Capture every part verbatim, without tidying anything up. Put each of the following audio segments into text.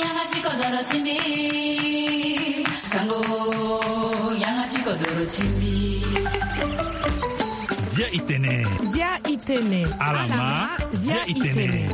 Yanga ti kodoro ti mbi. Sango, yanga ti kodoro ti mbi. Zia i tene. Zia i tene. Alama, zia i tene.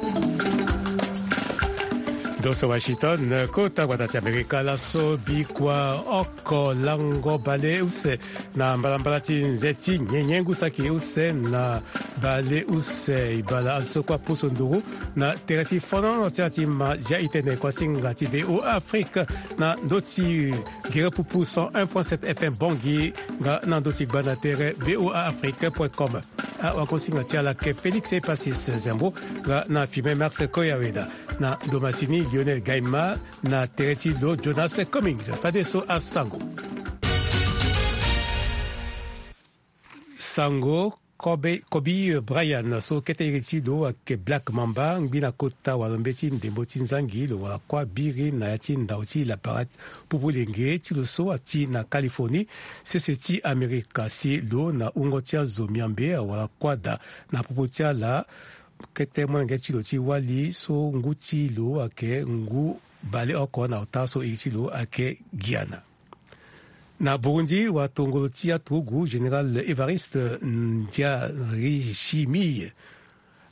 Doso Washington, kota gbata ti Amerika laso bikua oko lango bale use na mbalambala ti nze ti nyenye ngu saki use na bale use ibala azo so kue apusu nduru na tere ti fonono ti ala ti ma zia i tene kuasinga ti V O A Afrique na ndö ti gere pupu cent un point sept F M Bangui nga na ndö ti gbanda tere V O A Afrique point com. Awagosinga ti ala ke Félix Epasis Zembo nga na filme Max Koyaweda na ndo masini Lionel Gaima na tere ti lo Jonas Cummings. Fadeso asango. Sango Kobe, Kobe Bryant so kete iri ti lo ayeke Black Mamba, ngbi na kota wala mbeti ndembo ti nzangi lo wala kuâ biri na ya ti ndau ti lapara pupu lenge ti lo so ati na Californie, sese ti Amerika si lo na wungo ti azo miambe awala kuâ daa na popo ti ala. Kete molenge ti lo ti wali so ngu ti lo ayeke ngu baleoko na ota so iri ti lo ayeke Guyana. Na Burundi, watongolo ti aturugu Général Évariste Ndayishimiye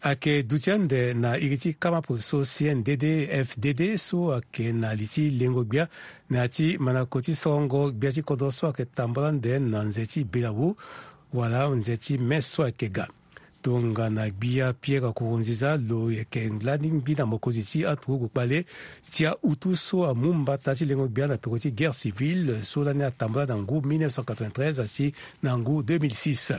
ayeke duti ande na iri ti kama polo so C N D D F D D so ayeke na li ti lengo gbia na ya ti mandako ti sorongo gbia ti kodro so ayeke tambula ande na nze ti belawu wala nze ti me so ayeke ga. Tongana gbia Pierre Nkurunziza lo yeke lani ngbi na mokonzi ti aturugu kpale ti autu so amu mbata ti lengo gbia na peko ti guerre civile so lani atambula na ngu mille neuf cent quatre-vingt-treize asi na ngu deux mille six.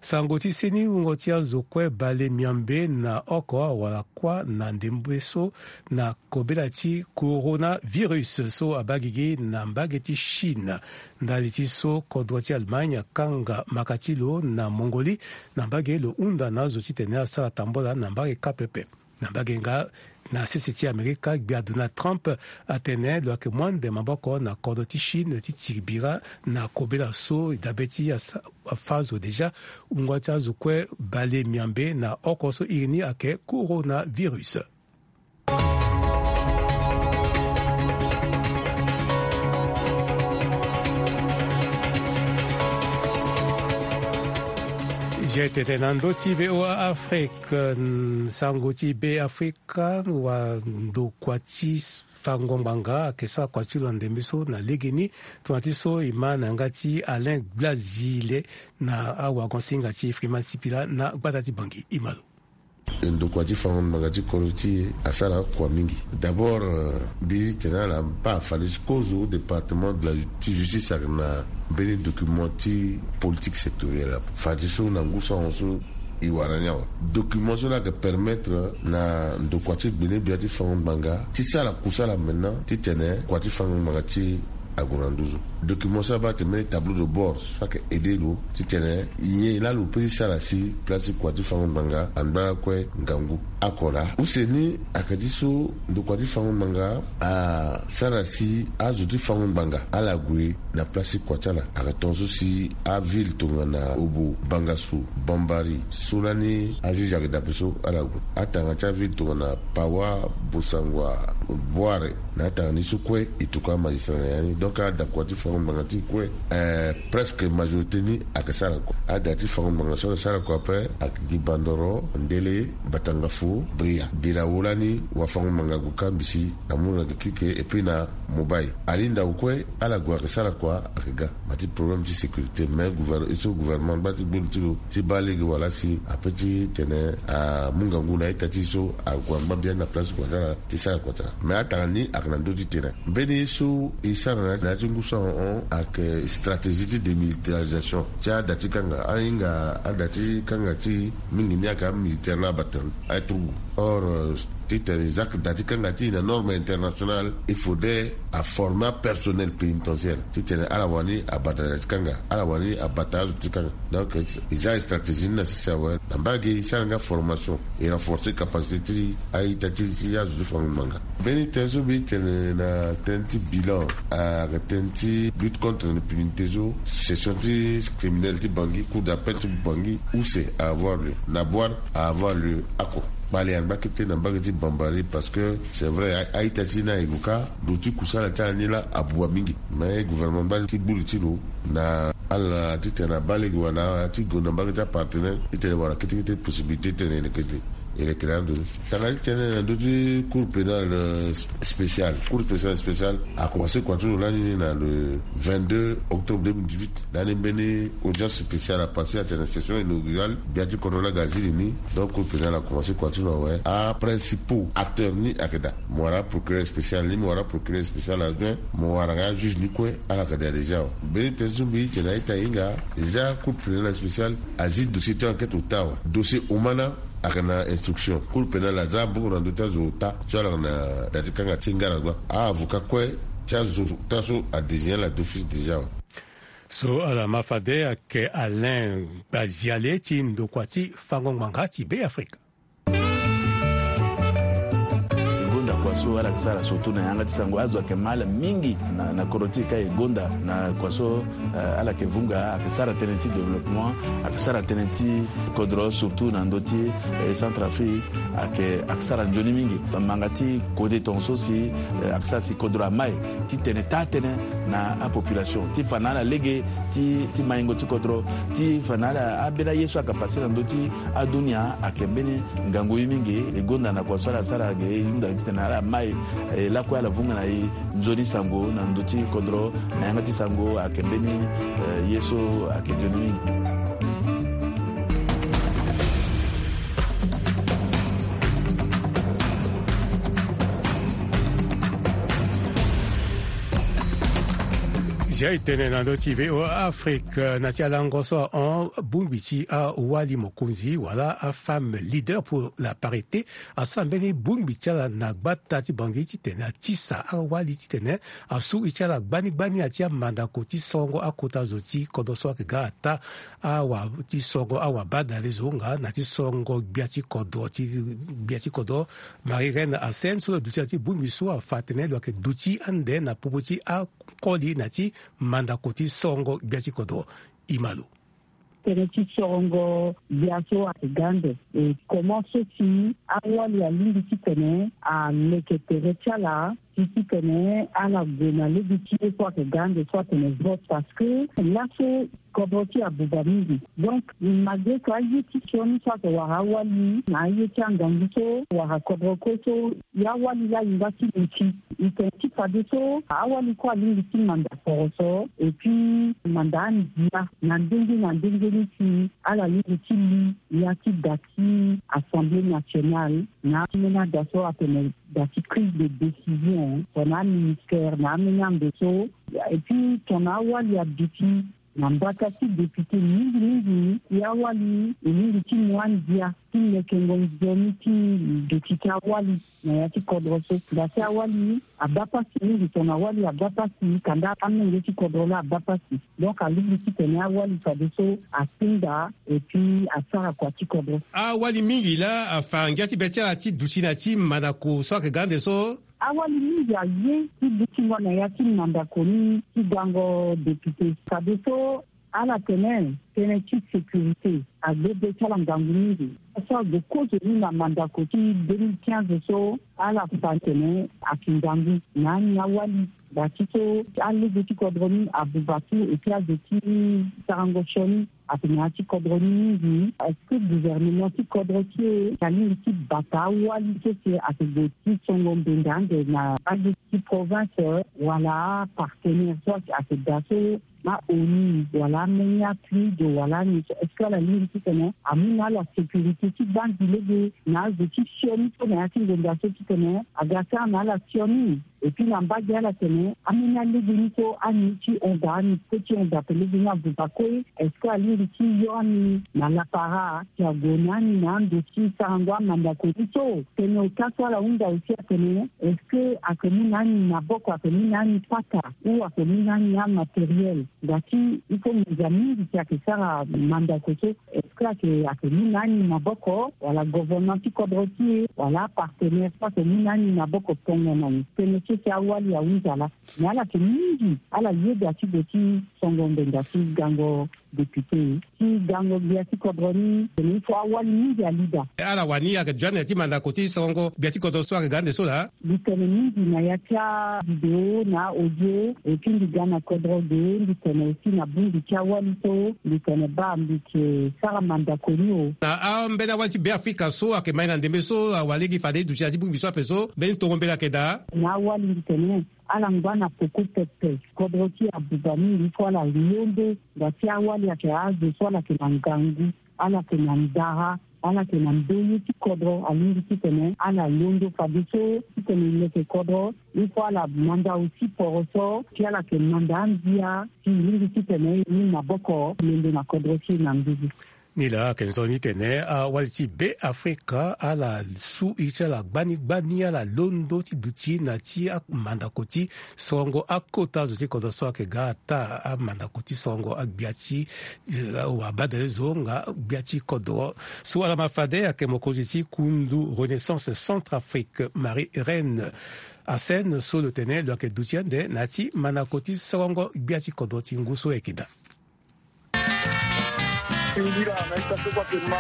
Sango ti seni wungo ti azo kue bale miambe na oko awala kuâ na ndembe so na kobela ti coronavirus so abaa gigi na mbage ti Chine. Ndali ti so kodro ti Allemagne akanga maka ti lo na Mongolie na mbage lo hunda na azo titene asara tambula na mbage kâ pepe. Na mbage nga na sese ti Amerika, gbia Donald Trump atene lo yeke mu ande maboko na kodro ti Chine ti tiri bira na kobela so e dabe ti asa- afa azo déjà. Wungo ti azo kue bale miambe na oko so iri ni ayeke coronavirus. Zia i tene na ndö ti V O A Afrique, mm, sango ti Be Afrika, wa ndokua ti fango ngbanga ayeke sara kua ti lo na ndembe so na legeni, tongana ti so e ma na yanga ti Alain Gbazile na awagosinga ti Freeman Sipila na gbata ti Bangui. E ma lo. Ndokua ti fango ngbanga ti kodro ti e asara kua mingi. D'abord, euh, mbi tene ala baa fade ti kozo département de la ju- ti justice ayeke na mbeni document ti politique sectorielle ape. Fade so na ngu sango so e wara ni awe. Document so la ayeke permettre na ndokua ti gbene gbia ti fango ngbanga ti sara kusala maintenant titene kua ti fango ngbanga ti e ague na nduzu. Document so abaa atene mbeni tableau de bord so ayeke aidé lo titene nyen laa lo peut ti sara si place ti kua ti fango ngbanga angba lakue ngangu. Oko laa use ni ayeke ti so ndokua ti fango ngbanga asara si azo ti fango ngbanga ala gue na place ti kua ti ala. Ayeke tongaso si aville tongana Obo, Bangassou, Bambari, so lani ajuge ayeke dape so ala gue. Atanga ti aville tongana Pawa, Bossangoa, Bouaré, na atanga ni so kue e tokua amagistrat na ya ni. Donc ada kua ti fango ngbanga ti e kue, eh, presque majorité ni ayeke sara kua. Ada ti fango ngbanga so ayeke sara kua ape ayeke gi Bandoro, Ndélé, Batangafo, Bria. Birawo lani wafango-ngbanga ague kâ mbisi, amu na gi kike, et puis na Mobaye. Ali ndau kue ala gue ayeke sara kua ayeke ga. Ma ti problème ti sécurité, mais gouver- e so gouvernement angba ti gbe lo ti lo ti baa lege wala si ape ti tene amu ngangu na a-ita ti e so ague angba biani na place ti kua ti ala ti sara kua ti ala. Mais atanga ni ayeke na ndö ti tene. Mbeni ye so e sara na ya ti ngu so ahon ayeke stratégie ti démilitarisation ti ada ti kanga. Ahinga ada ti kanga ti e mingi ni ayeke amilitaire laa abata aye turugu. Or, euh, titene e za da ti kanga ti e na norme internationale, il faudrait aformer apersonnel pénitentiaire titene ala wani abata da ti kanga, ala wani abata azo ti kanga. Donc e za e stratégie ni na sese awe. Na mbage e sara nga formation, e renforcer capacité ti a-ita ti, ti azo ti fango-ngbanga. Mbeni tënë so mbi tene na tënë ti bilan, ayeke tënë ti lutte contre l'impunité so session ti criminel ti Bangui, cour d'appel ti Bangui, use a avoir lieu, na Bouar a avoir lieu oko. Kpale Mbage ti tene na mbage ti Bambari, parce que c'est vrai, a- a-ita ti ni aye lo kâ, lo ti kusala ti ala ni laa abuba mingi. Mais gouvernement mbage ti gbu li ti lo na ala titene abaa lege wala ti gonda mbage ti apartenaire titene wara kete kete possibilité titene e leke ti e leke na ando ni. Tanga ti tene na ndö ti cour pénale, euh, spéciale. Cour pénale spéciale a commencé kua ti lo lani ni na le vingt-deux octobre deux mille dix-huit. Lani mbeni audience spéciale a passé atene session inaugurale, gbia ti kodro laa aga zi li ni. Donc cour pénale a commencé kua ti lo awe. Aprincipaux acteurs ni ayeke daa. Mo wara procureur spécial ni, mo wara procureur spécial adjoint, mo wara nga juge ni kue, ala yeke daa déjà awe. Mbeni tënë so mbi tene a-ita e hinga, déjà cour pénale spéciale azi dossier ti enquête ota awe. Dossier omana ayeke na instruction. Cour pénale aza maboko na ndö ti azo ota so ala yeke na da ti kanga ti ngara gba. A-avocat kue ti azo ota so adésigné ala d'office déjà awe. So ala ma fade ayeke Alain Gbaziale ti ndokua ti fango ngbanga ti Be Afrika. E gonda kua so ala yeke sara surtout na yanga ti sango. Azo ayeke ma ala mingi na, na kodro ti e ka e gonda na kua so, eh, ala yeke vunga, ayeke sara tënë ti développement, ayeke sara tënë ti kodro surtout na ndö ti, eh, Centrafrique, ayeke, ayeke sara nzoni mingi. Manga ti kode tongaso si, eh, ayeke sara si kodro amai titene taa tënë na apopulation, ti fa na ala lege ti, ti maingo ti kodro, ti fa na ala, ambeni aye so ayeke passé na ndö ti adunia ayeke mbeni ngangu ye mingi. E gonda na kua so ala sara ge, e hunda titene ala mai, eh, lakue ala vunga na e nzoni sango na ndö ti kodro, na yanga ti sango ayeke mbeni, eh, ye so ayeke nzoni mingi. Zia e tene na ndö ti V O A Afrique, na ti alango so ahon, bongbi ti awali mokonzi wala afemme leader pour la parité asara mbeni bongbi ti ala na gbata ti Bangui titene atisa awali titene asu e ti ala gbani gbani na ya ti amandako ti sorongo akota zo ti kodro so ayeke ga ata awa ti sorongo awabadale zo nga na ti sorongo gbia ti kodro ti, gbia ti kodro. Marie Reine Hassen so lo duti na ti bongbi so afa atene lo yeke duti ande na popo ti akoli na ti mandako ti sorongo gbia ti kodro. E ma lo. Tënë ti sorongo gbia so ayeke ga ande. E comment so si awali alingbi titene aleke tere ti ala, si titene ala gue na lege ti ye so ayeke ga ande so atene vote, parce que laso kodro ti e abuba mingi. Donc malgré que aye ti sioni so ayeke wara awali na aye ti angangu so wara kodro kue so, e awali laa e nga ti luti. E tene ti fadeso awali kue alingbi ti manda poroso, et puis manda andia na ndenge na ndenge ni si ala lingbi ti li ya ti da ti Assemblée nationale na ambeni ada so atene da ti prise de décision tongana aministère na ambeni ando so. Et puis tongana awali aduti na mbata ti député mingi mingi, e awali e lingbi ti mu andia ti lekengo nzoni ti duti ti awali na ya ti kodro so. Nga si awali abaa pasi mingi, tongana awali abaa pasi, kanda amenge ti kodro laa abaa pasi. Donc alingbi titene awali fadeso atinda et puis asara kua ti kodro. Awali mingi laa afa ngia ti be ti ala ti duti na ti mandako so ayeke ga ande so. Awali mingi aye ti dutingo na ya ti mandako ni ti gango député. Fadeso ala tene tënë ti sécurité agbe be ti ala ngangu mingi. So ague kozo ni na mandako ti deux mille quinze so, ala fa tene ayeke ngangu na ani awali. Daa ti so alege ti kodro ni abuba tu, et puis azo ti sarango sioni atene ya ti kodro ni mingi. Est-ce que gouvernement ti kodro ti e alingbi ti bata awali so si ayeke gue ti songo mbenda ande na mbage ti province, wala apartenaire so ayeke daa so, na ONU wala ambeni apuide wala ni so, est-ce que ala lingbi titene amu na ala sécurité ti banzi lege na azo ti sioni so na ya ti ngonda so titene aga sara na ala sioni? Et puis na mbage ala tene ambeni alege ni so ani ti hon daa, ani kue ti hon daa pe lege ni abuba kue. Est-ce que alingbi ti yo ani na lapara si ague na ani na ando ti sarango amandako ni so? Tene ota so ala hunda aussi atene, est-ce que ayeke mu na ani maboko, ayeke mu na ani pata, ou ayeke mu na ani amatériel? Nga ti il faut nginza mingi si ayeke sara mandako so. Est-ce que ayeke, ayeke mu na ani maboko, wala gouvernement ti kodro ti e, wala apartenaire so ayeke mu na ani maboko tongana ni? Tënë so si awali ahunza laa. Mais ala yeke mingi, ala yeda ti gue ti songo mbenda ti gango député ti gango gbia ti kodro ni tene il faut awali mingi ali daa. Ala wani ayeke duti ande ti mandako ti sorongo gbia ti kodro so ayeke ga ande so laa. Mbi tene mingi na ya ti avidéo na audio, et puis mbi ga na kodro ge, mbi tene aussi na bongbi ti awali so mbi tene baa mbi yeke sara mandako ni o. Na ambeni awali ti Beafrika so ayeke mai na ndembe so awa lege fade e duti na ya ti bongbi so ape so mbeni tongo mbela ayeke daa. Na awali mbi tene ala ngba na peko pepe. Kodro ti abuba mingi so ala londo. Ngba ti awali ayeke azo so ala yeke na ngangu, ala yeke na ndara, ala yeke na ndoye ti kodro, alingbi titene ala londo fadeso titene e leke kodro. Il faut ala manda aussi poroso ti ala yeke manda andia ti e lingbi titene e mu maboko londo na kodro ti e na nduzu. Nilaa ayeke nzoni titene awali ti Beafrika ala su iri ti ala gbani gbani, ala londo ti duti na ti amandako ti sorongo akota zo ti kodro so ayeke ga ata amandako ti sorongo agbia ti, eh, wabadale zo nga gbia ti kodro. So ala ma fade ayeke mokonzi ti kundu Renaissance Centrafrique, Marie Reine Hassen, so lo tene lo yeke duti ande na ya ti mandako ti sorongo gbia ti kodro ti ngu so ayeke daa. Singila na ita so kua ke ma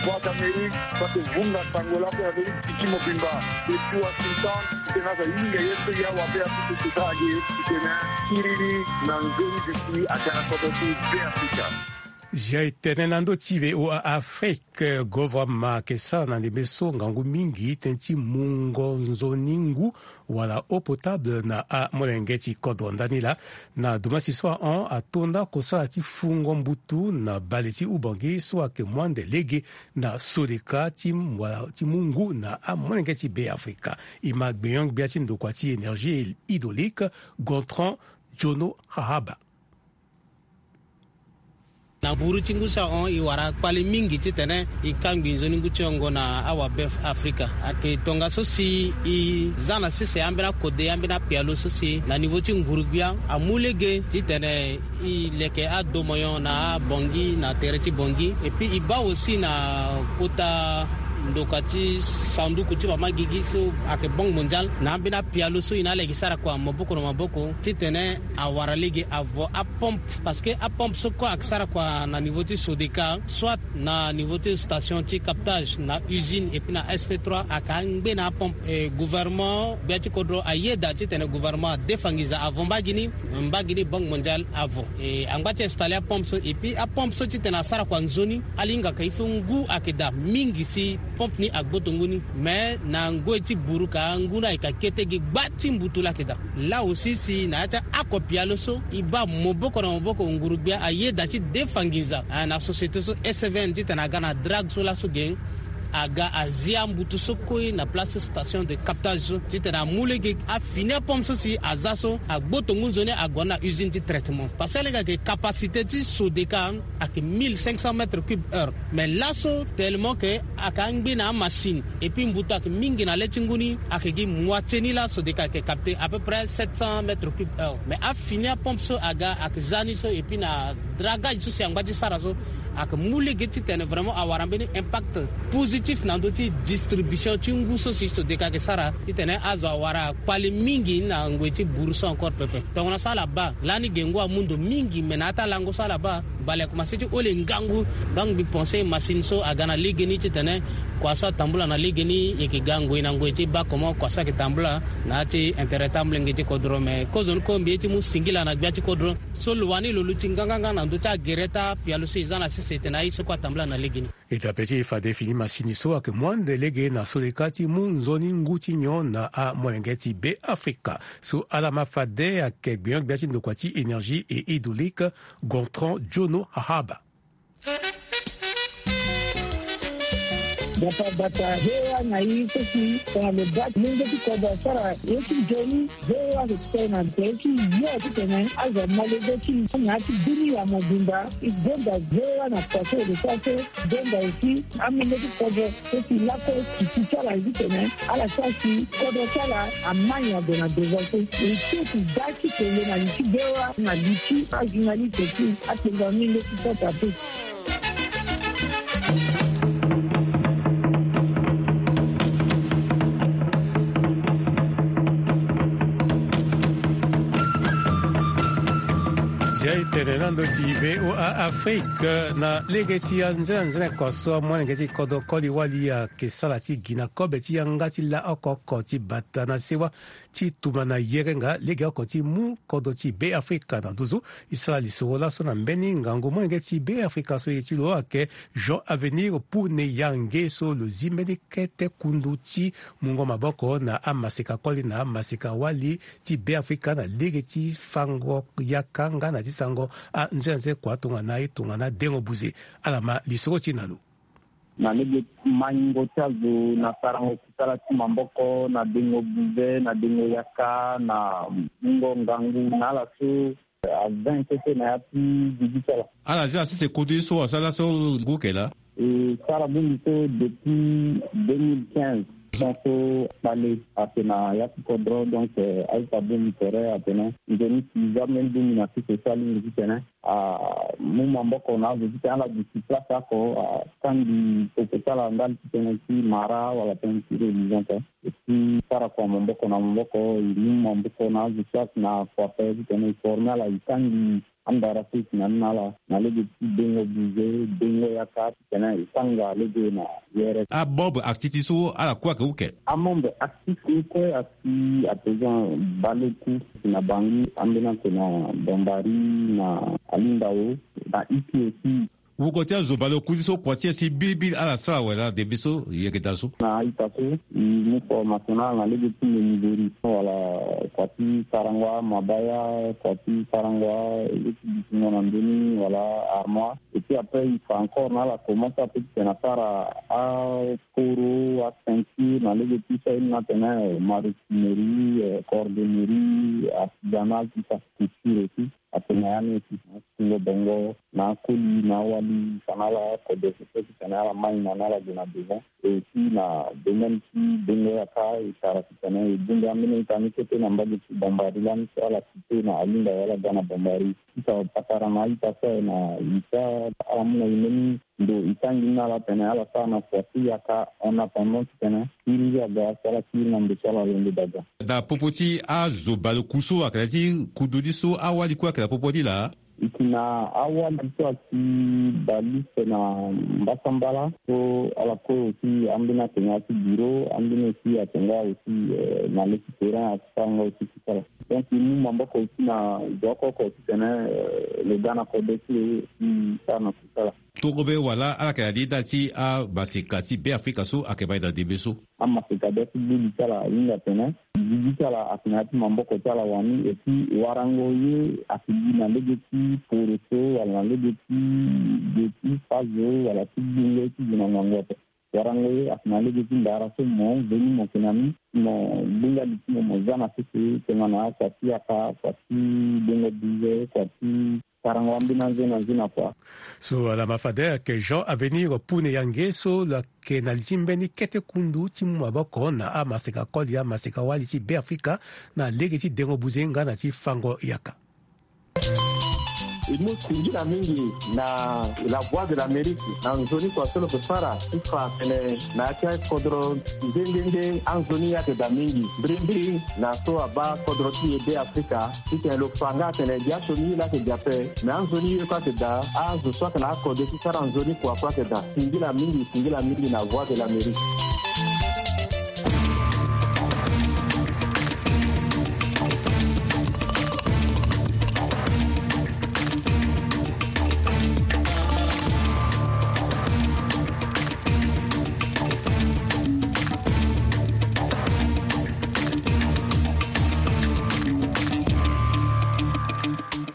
Voix d'Amérique, kua ke vunga sango lako ya Amerique ti mobimba. Depuis Washington, titene aza hinga ye so ya wabe ya kutu kuta age, titene kiriri na nzoni duti aga na kodro ti Beafrika. Zia e tene na ndö ti V O A Afrique, gouvernement ayeke sara na ndembe so ngangu mingi tënë ti mungo nzoni ngu wala eau potable na amolenge ti kodro. Ndani laa na dumasi so ahon ato nda kosala ti fungo mbutu na bale ti Ubangi so ayeke mu ande lege na sodeka ti mu, ti mu ngu na amolenge ti Beafrika. E ma gbenyo-gbia ti ndokua ti énergie hydraulique, Gontran Jono Hahaba. Na buru ti ngu so ahon e wara kpale mingi titene e kangbi nzoni ngu ti hongo na awabe Afrika. Ayeke tongaso si e za na sese ambeni akode, ambeni apialo so si na niveau ti nguru-gbia amu lege titene e leke adomonyon na abongi na tere ti bongi. Et puis e baa aussi na kota ndokua ti sanduku ti mama gigi so ayeke Banque Mondiale na ambeni apialo so e na ala yeke sara kua maboko na maboko titene awara lege avo apompe. Parce que apompe so kue ayeke sara kua na niveau ti Sodeka, soit na niveau ti station ti captage na usine et puis na S P trois ayeke angbe na apompe. E gouvernement gbia ti kodro ayeda titene gouvernement adefa nginza avo mbage ni, mbage ni Banque Mondiale avo. E angba ti installer apompe so et puis apompe so titene asara kua nzoni, ala hinga ka il faut ngu ayeke daa mingi si pompe ni agboto ngu ni. Mais na ngoi ti buru ka ngu ni ayeke kete gi gba ti mbutu laa ayeke daa. Là aussi si na ya ti ako pialo so e baa maboko na maboko nguru-gbia ayeda ti defa nginza, ah, na société so S V N titene aga na drague so laso ge aga azi ambutu so kue na place station de captage so titene amu lege afini apompe so si aza so agboto ngu nzoni ague na usine ti traitement. Parce que lege ayeke capacité ti Sodeka ayeke mille cinq cents mètres cubes heure. Mais laso tellement que ayeke angbe na amasine et puis mbutu ayeke mingi na le ti ngu ni, ayeke gi moitié ni laa Sodeka ayeke capter à peu près sept cents mètres cubes heure. Mais afini apompe so aga ayeke za ni so et puis na dragage so si angba ti sara so ayeke mu lege titene vraiment awara mbeni impact positif na ndö ti distribution ti ngu so si Sodeka ayeke sara titene azo awara kpale mingi na ngoi ti buru so encore pepe. Tongana so ala baa lani ge ngu amu ndo mingi, me na ya ti alango so ala baa bale akomanse ti hole ngangu. Donc mbi pense machine so aga na legeni titene kua so atambula na legeni e yeke ga ngoi na ngoi ti baa comment kua so ayeke tambula na ya ti intérêt ti amolenge ti kodro. Me kozoni ko mbi ye ti mu singila na gbia ti kodro so lo wani lo luti nganganga na ndö ti agere ti apialo so e za na sese tene aye so kue atambula na legeni. E dabe ti e fade fini masini so ayeke mu ande lege na Sodeka ti mu nzoni ngu ti nyon na amolenge ti Beafrika. So ala ma fade ayeke gbenyo-gbia ti ndokua ti énergie et hydraulique, Gontran Jono Hahaba. Bata bata, he wa na i so si tongana lo baa ti lenge ti kodro asara ye ti nzoni. Ve wa lo tene na tere ti yo titene azo ma lege ti na ya ti dunia mobimba. E gonda ve wa na kua so e lo sara so. Gonda aussi amolenge ti kodro so si lakue titi ti ala titene ala sara si kodro ti ala amai ado na devant so. E so si da ti tene na li ti ve wa na li ti ajournaliste ti atenga ni leti sota pe. Ti a-e tene na ndo ti V O A Afrique na lege ti anzene anzene kua so amolenge ti kodro koli wali ayeke sara ti gi na kobe ti yanga ti la oko oko ti bata na sewa ti tuma na yerenga legeoko ti mu kodro ti Beafrika na nduzu. E sara lisoro laso na mbeni ngangu molenge ti Beafrika so iri ti lo ayeke Jean Avenir Pune Yange so lo zi mbeni kete kundu ti mungo maboko na amaseka koli na amaseka wali ti Beafrika na lege ti fango yaka nga na ti sango anzenze kua tongana e tongana dengo buze. Ala ma lisoro ti e na lo. Na lege maingo ti azo na sarango kusala ti maboko na dengo buze na dengo yaka na mungo ngangu na ala so a vingt kete na ya ti gigi ti ala. Ala zi asese kudu ye so asara so ngu ke laa. E sara bongbi so depuis deux mille quinze. Son so kpale ake na ya ti kodro, donc, eh, aita bongbi tere atene nzoni si za mbeni bongbi na sese so alingbi titene amu maboko na azo titene ala duti place oko, atangi popo ti ala ndali titene ti mara wala tënë ti religion te. Et puis sara kua maboko na maboko, e mu maboko na azo so ake na kua pe titene e forme ala, e tangi andara so e si na ni na ala na lege ti dengo buze, dengo yaka titene e tanga lege na yere. Amembre actif ti so ala kue ayeke uke? Amembre actif ni kue asi à présent baleku na Bangui, ambeni ake na Bambari, na Alindao, na Iki aussi. Wuko ti azo baleku ni so kua ti e si biribiri ala sara wala debe so yeke daa so? Na a-ita so e mu formation na ala na lege ti menuiserie wala kua ti sarango amabaya, kua ti sarango a-, ye ti dutingo na ndö ni wala armoire. Et puis après e fa encore na ala comment ça peut titene asara akoro, aceinture na lege ti so aye ni atene, eh, maroquinerie, eh, cordonnerie, artisanal, tout ça, couture aussi. Atene ya ni aussi na atungo bongo na akoli na awali, fa na ala kodro so titene ala mai na ni ala gue na devant. Et aussi na domaine ti dengo yaka e sara titene e bongbi ambeni ita ni kete na mbage ti Bambari lani so ala cité na Alindao wala ga na Bambari. Ti fa patara na a-ita so aye na ita, ala mu na e mbeni ndo e tangi ni na ala tene ala sara na kua ti yaka en attendant titene kiri aga so ala kiri na ndo so ala londo daga. Na popo ti azo baleku so ayeke na ya ti kudu ni so awali kue ayeke na popo ni laa? E si na awali so asi baleku na mbasambala so ala kue aussi ambeni atene ya ti bureau, ambeni aussi atene nga aussi, eh, na le ti terrain asi sara nga aussi kusala. Donc e mu maboko aussi na zo oko oko titene, eh, lo ga na kodro ti lo aussi sara na kusala. Tongo be wala ala yeke na li nda ti amaseka ti Beafrika so ayeke mai na ndembe so? Amaseka be ti gbu li ti ala ahinga atene gigi ti ala ayeke na ya ti maboko ti ala wani, et puis warango ye ayeke gi na lege ti poroso wala na lege ti ge ti fazo wala ti gbungo ti gi na ngangu ape. Warango ye ayeke na lege ti ndara so mo veni mo yeke na ni, mo gbinga li ti mo mo za na sese tongana kua ti yaka, kua ti gbingo bize, kua ti sarango ambeni anze na nze na kua. So ala ma fade ayeke Jean Avenir Pune Yange so lo yeke na li ti mbeni kete kundu ti mu maboko na amaseka koli, amaseka wali ti Beafrika na lege ti dengo buze nga na ti fango yaka. E mu singila mingi na La Voix de l'Amérique na nzoni kua so lo yeke sara ti fa atene na ya ti akodro nde nde nde anzoni ayeke daa mingi. Mbirimbiri na so abaa kodro ti e Beafrika titene lo fa nga atene gi asioni ye laa ayeke gi ape, me anzoni ye kue ayeke daa, azo so ayeke na akodro ti sara nzoni kua kue ayeke daa. Singila mingi, singila mingi na Voix de l'Amérique.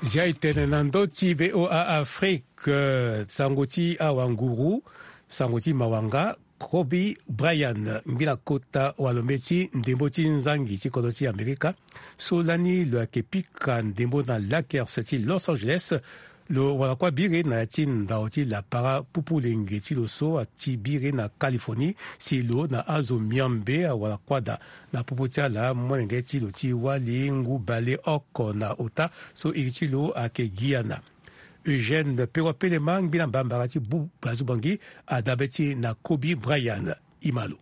Zia e tene na ndö ti V O A Afrique, sango ti awanguru, sango ti mawanga, Kobe Bryant, ngbila kota walo mbeti ndembo ti nzangi ti kodro ti Amerika, so lani lo yeke pika ndembo na Lakers ti Los Angeles, lo wara kua biri na ya ti ndao ti lapara pupu lenge ti lo so ati biri na Californie, si lo na azo miombe awara kua daa. Na popo ti ala, molenge ti lo ti wali ngu bale oko na ota so iri ti lo ayeke Guyana. Eugène Perrois Pelema, ngbila mbambara ti bu bazu bangi, adabe ti na Kobe Bryant. E ma lo.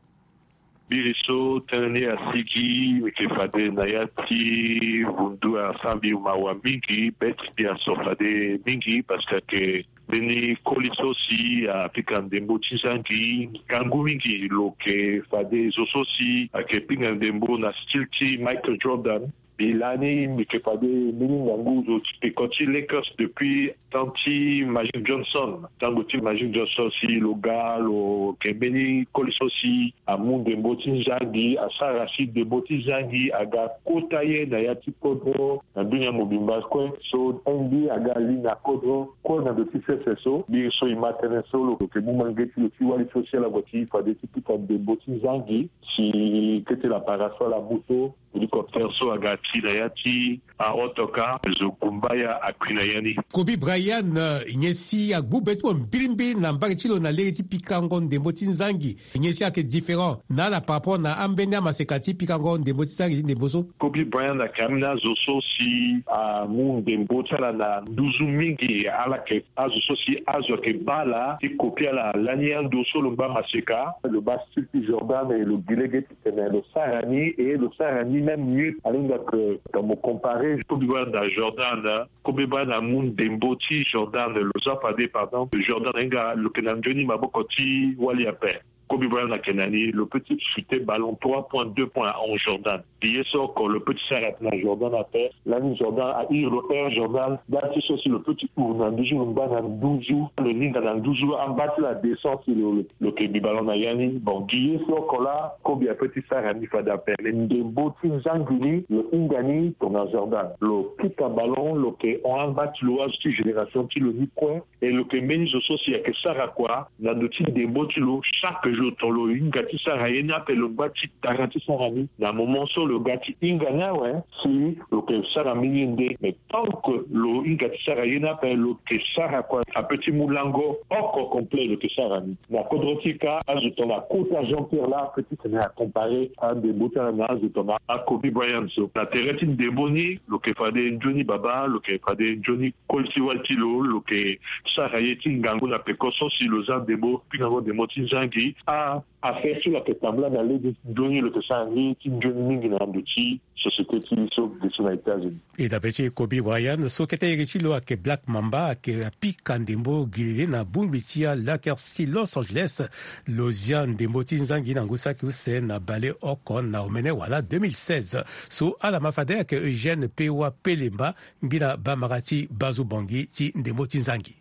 Biri so tënë ni asigi, mbi yeke fade na ya ti vundu asara mbi mawa mingi, be ti mbi aso fade mingi, parce que ayeke mbeni koli so si apika ndembo ti zangi ngangu mingi. Lo yeke fade zo so si ayeke pinga ndembo na style ti Michael Jordan. Mbi lani mbi yeke fade mbeni ngangu zo ti peko ti Lakers depuis temps ti Magic Johnson. Tango ti Magic Johnson si lo ga, lo yeke mbeni koli so si amu ndembo ti zangi, asara si ndembo ti zangi aga kota ye na ya ti kodro na dunia mobimba kue. So N B A aga li na kodro kue na ndo ti sese so. Biri so e ma tënë so, lo yeke mu mange ti lo ti wali so si ala gue ti fade ti pika ndembo ti zangi. Si kete la parasol amu so, hélicoptère so aga ti na ya ti aotoka, zo gumbaya akui na ya ni. Kobe Bryant, eh, nyen si agbu be ti mo mbilimbili na mbage ti lo na lege ti pikango ndembo ti zangi? Nyen si ayeke différent na ala par rapport na ambeni amaseka ti pikango ndembo ti zangi ti ndembo so? Kobe Bryant ayeke ambeni azo so si amu ndembo ti ala na nduzu mingi. Ala yeke azo so si azo ayeke baa ala ti kopi ala lani ando so lo ngba maseka, lo baa style ti Jordan, e lo gi lege ti tene lo sara ni, e lo sara ni même mieux. Alinga ke, quand mo comparer Kobe Bryant na Jordan, Kobe Bryant amu ndembo ti Jordan. Lo za fade, par exemple, Jordan ahinga lo yeke na nzoni maboko ti wali ape. Kobe Bryant ayeke na ni, lo peut ti chuter ballon trois points, deux points en Jordan. Gi ye so oko lo peut ti sara na Jordan ape. Lani Jordan a iri lo Air Jordan. Nda ti so si lo peut ti huru na nduzu, lo ngba na nduzu, lo linda na nduzu, amba ti lo adescend si lo, lo, lo yeke bi ballon na ya ni. Bon, gi ye so oko laa, Kobe apeut ti sara ni fade ape. Mais ndembo ti zangi ni, lo hinga ni tongana Jordan. Lo pika ballon, lo yeke hon amba ti lo, azo ti génération ti lo ni kue. E lo yeke mbeni zo so si ayeke sara kua na ndo ti ndembo ti lo. Chaque jour, tongana lo hinga ti sara ye ni ape, lo ngba ti tara ti sara ni. Na moment so lo ga ti hinga ni awe, si lo yeke sara mbeni ye nde. Mais tant que lo hinga ti sara ye ni ape, lo yeke sara kua, apeut ti mu lango oko complet, lo yeke sara ni. Na kodro ti e kâ, azo tongana kota Jean-Pierre laa, apeut ti tene acomparer andembo ti ala na azo tongana aKobe Bryant so. Na tere ti ndembo ni, lo yeke fade nzoni baba, lo yeke fade nzoni koli ti wali ti lo, lo yeke sara ye ti ngangu na peko so si lo za ndembo, pingango ndembo ti zangi. A, affaire so lo yeke tambula na lege nzoni, lo yeke sara ye ti nzoni mingi na ndo ti société ti e so ge so na États-Unis. E dape ti Kobe Bryant so kete iri ti lo ayeke Black Mamba, ayeke apika ndembo gi lele na bongbi ti aLakers ti Los Angeles. Lo zia ndembo ti zangi na ngu saki use na bale oko na omene wala deux mille seize. So ala ma fade ayeke Eugène Pewa Pelemba, ngbina bamara ti Bazu Bongi ti ndembo ti zangi.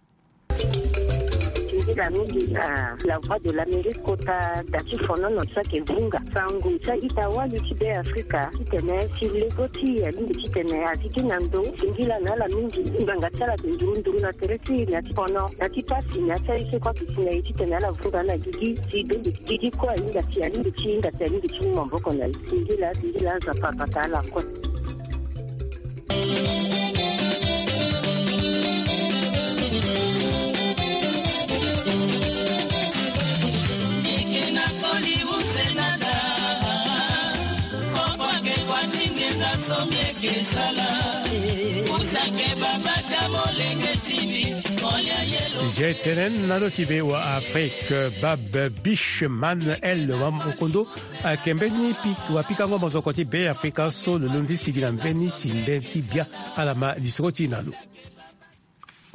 Singila mingi na La Voix de l'Amérique kota da ti fonono so ayeke vunga sango ti a-ita wali ti Be Afrika titene si lego ti e alingbi titene aziki na ndo. Singila na ala mingi, ngbanga ti ala ayeke nduru nduru na tere ti e na ya ti fono, na ya ti pasi, na ya ti aye so kue ayeke si na e titene ala vunga na gigi. Si bembe gigi kue ahinga ti, alingbi ti hinga ti, alingbi ti mu maboko na e. Singila, singila, Nzapa abata ala kue. Zetenen na lo ti be wa Afrique, Bab Bishman El Wamokondo, ayeke mbeni pik-, wapikango mozoko ti Be Afrika so lo londo ti sigi na mbeni si mbeni ti bia. Ala ma lisoro ti e na lo.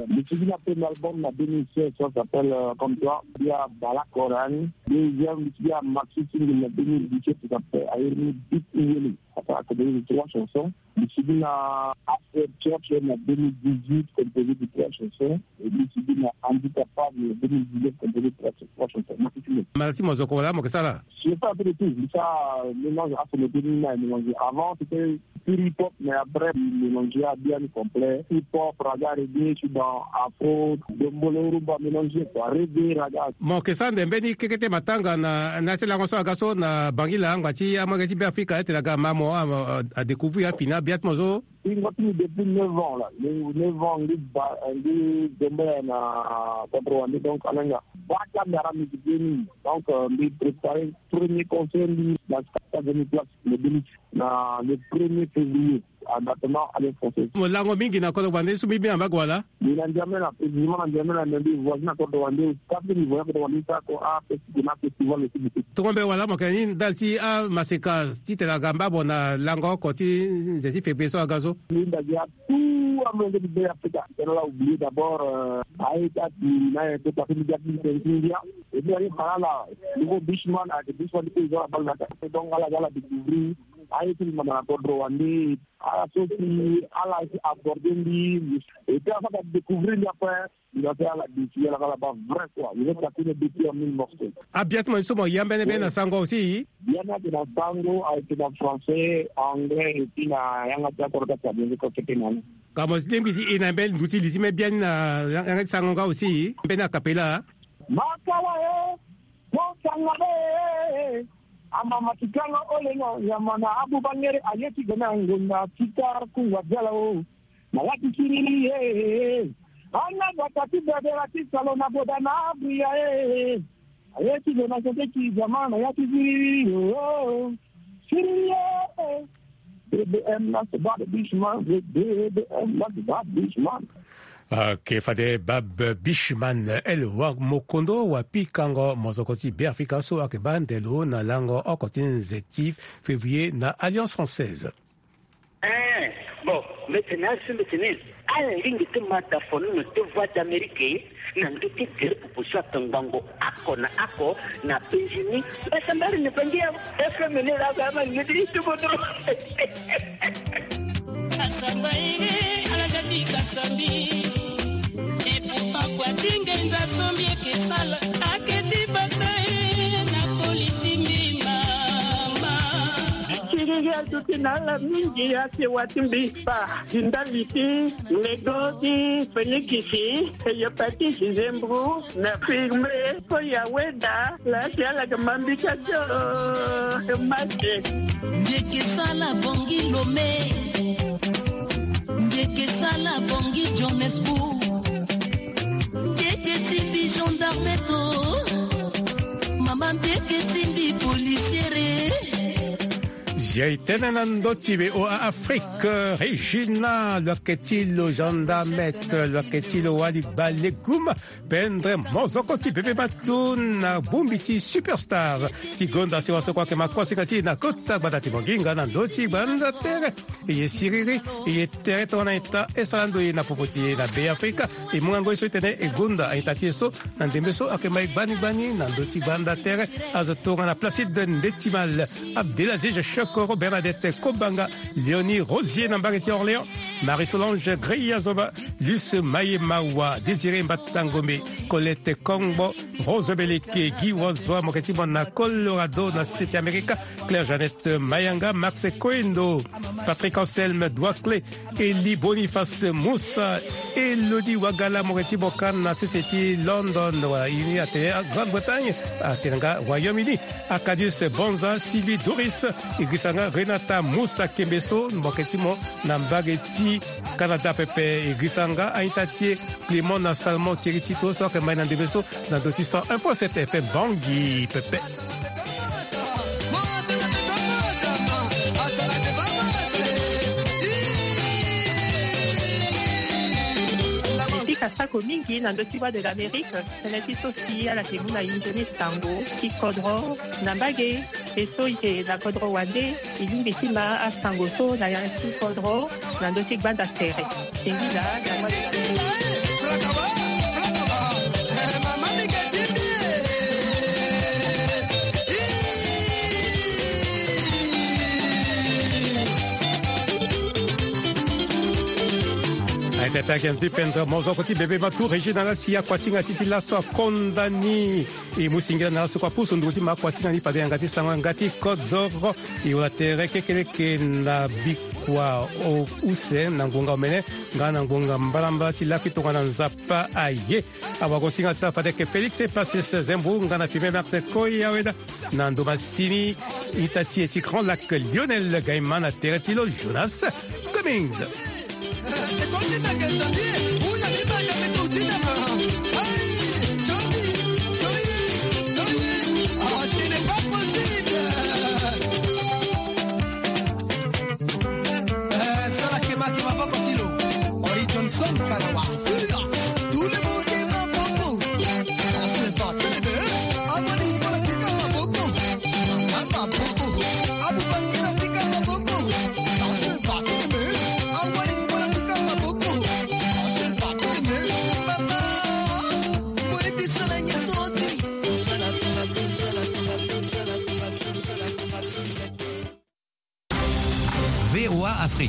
Mbi sigi na premier album na deux mille seize, ça s'appelle, euh, Comme toi. Mbi abaa lakore ni. Deuxième, mbi sigi na maxi single na deux mille dix-sept, ça s'appelle Ayer ni Beat Yele. Ça fait que deux mille trois chansons. Mbi sigi na After Church na deux mille dix-huit, composé de trois chansons. Et mbi sigi na Handicapable na deux mille dix-neuf, composé de trois, trois chansons. Maxi single. Mara ti mozoko wala mo yeke sara? Je fais un peu de tout. Mbi sara mélange afro, mélange. Avant, c'était pur hip-hop, mais après, mélanger bien complet. Hip-hop, raga, reggae, je suis dans afro, dombolo, rumba, mélangé, quoi. Reggae, raga. Mo yeke sara nde mbeni kekete matanga na, na ya ti lango so aga so na Bangila, angba ti amolenge ti Be Afrika, ete aga ma mo a, a, a découvrir afini abia ti mo so. Hingo ti mbi depuis neuf ans là. Neuf ans, mbi ba, mbi dombolo na quatre-vingt-deux, donc, alanga. Baka mbi ara musique ni. Donc, euh, mbi préparer premier concert, mbi na quatre-vingt places, le Bénin, na le premier février. En attendant, Alliance Française. Mo lango mingi na kodro wande so mbi mbi na mbage wala? Mbi na N'Djamena, précisément na N'Djamena, mais mbi voisin na kodro wande, quatre mbi voisin kodro wande sa ko, ah, festival, na festival aussi beaucoup. Tongo mbe wala mo yeke ni ndali ti amaseka titene aga mbabo na lango oko ti nze ti février so aga so. Mbi ndali ya tout amolenge ti Bê-Afrika. Tena la oublier d'abord, euh, aye ti ati na ye kota ti mbi ti India. Et puis aye fa na ala, nouveau Bushman, ayeke Bushman ti pays zo abal na ata. Donc ala, ala découvrir aye ti mbi manda na kodro wande. Ala so si ala si aborder mbi, et puis ala so ala découvrir mbi après, mbi na so ala découvrir ala, ala baa vrai quoi. Mbi na so ala kue na découvrir en mille morceaux. Abia ti mo so mo yambe ni mbeni na sango aussi? Biani ayeke na sango, ayeke na français, anglais, et puis na yanga ti akoro ti atabia ni ko fete na ni. Ka mo lingbi ti e na mbeni ndu ti li ti mbeni biani na yanga ti sango nga aussi mbeni a cappella. Makawa e, mo sanga be e, amama ti kanga ole na nyama na abu bangere aye ti gana ngonda ti ta kungwa zala o. Na ya ti siriri e, ana bata ti bebela ti salo na boda na abria e. Aye ti lo na sese ti zama na ya ti siriri o. Siriri e. B B M na se bad Bushman, B B M na se bad Bushman. Ok, fade Bab Bishman, el wa mokondo wa pikango mozoko ti Bê-Afrika so ayeke baa ndelo na lango oko ti nze ti février na Alliance Française. Eh, bon, mbi tene asu mbi tene ala lingbi ti ma da fono na te Voix d'Amérique na ndö ti gere popo so ayeke ngbongo oko na oko na Benjini. Mbasambari ni bangi ya F M ni la ga ma ni ti tubo dro. Kasamba ere, ala ga ti kasamba. Et pourtant kua ti ngenza so mbi yeke sala, ake ti bata e na koli ti mbi mama. Siriri aduti na ala mingi, ake wa ti mbi kpa ti ndali ti lego ti fenikisi, hepatite, nzembru, na firme, so ya weda. La si ala ga ma mbi ka tio, e ma te. Mbi yeke sala Bangui Lomé. Mbi yeke sala Bangui Johannesburg. Mbi yeke ti mbi gendarme to. Mama mbi yeke ti mbi policiere. Zia e tene na ndö ti V O A Afrique, Régina, lo yeke ti lo gendarmette, lo yeke ti lo wali balegume. Pendre mozoko ti bebe matu na bongbi ti Superstars ti gonda sewa so kue ayeke ma kuasinga ti e na kota gbanda ti Bongi nga na ndö ti gbanda tere. E ye siriri, e ye tere tongana eta e sara ndo e na popo ti e na Bê-Afrika. E mu ngangu ye so e tene e gonda a-ita ti e so na ndembe so ayeke ma e gbani gbani na ndö ti gbanda tere. Azo tongana Placide Ndetimal, Abdelaziz Chokoro, Bernadette Kobanga, Léonie Rosier na mbage ti Orléans, Marie-Solange Greya Zoba, Luce Mayemawa, Désiré Mbatangombe, Colette Kongbo, Rose Beleke, Guy Wazua, mo yeke ti mo na Colorado na sese ti Amerika, Claire Jeannette Mayanga, Max Koendo, Patrick Anselme Douaclé, Elie Boniface Moussa, Elodie Wagala, mo yeke ti mo ka na sese ti London, wala ini atene Grande-Bretagne, atene nga Royaume-Uni, Acadius Bonza, Sylvie Doris, e girisa nga Renata Moussa Kembeso, mo yeke ti mo na mbage ti Canada pepe, e girisa nga a-ita ti e Clément na Salomon Thierry Tito so ayeke ma e na ndembe so na ndö ti cent un point sept F M Bangui pepe. E pika sako mingi na ndö ti Voix de l'Amérique, tënë ti so si ala yeke mu na e nzoni sango ti kodro na mbage. E so e yeke na kodro wande, e lingbi ti ma asango so na yanga ti kodro na ndö ti gbanda tere. Singila na Voix de l'Amérique. Aye tata ake na ti pendre mozoko ti bebe matu Régina la si akuasinga ti ti laso akonda ni. E mu singila na ala so kue apusu nduku ti ma akuasinga ni fade yanga ti sango yanga ti kodoro. E wala tere kekeleke na bikua o use na ngonga omene nga na ngonga mbalambala ti laki tongana Nzapa aye. Awagosinga ti ala fade yeke Félix Epasis Zembo nga na Firmin Max Koyaweda. Na ndo masini ita ti e ti Grand Lac Lionel Gaima na tere ti lo Jonas Cummings. V O A Afrique.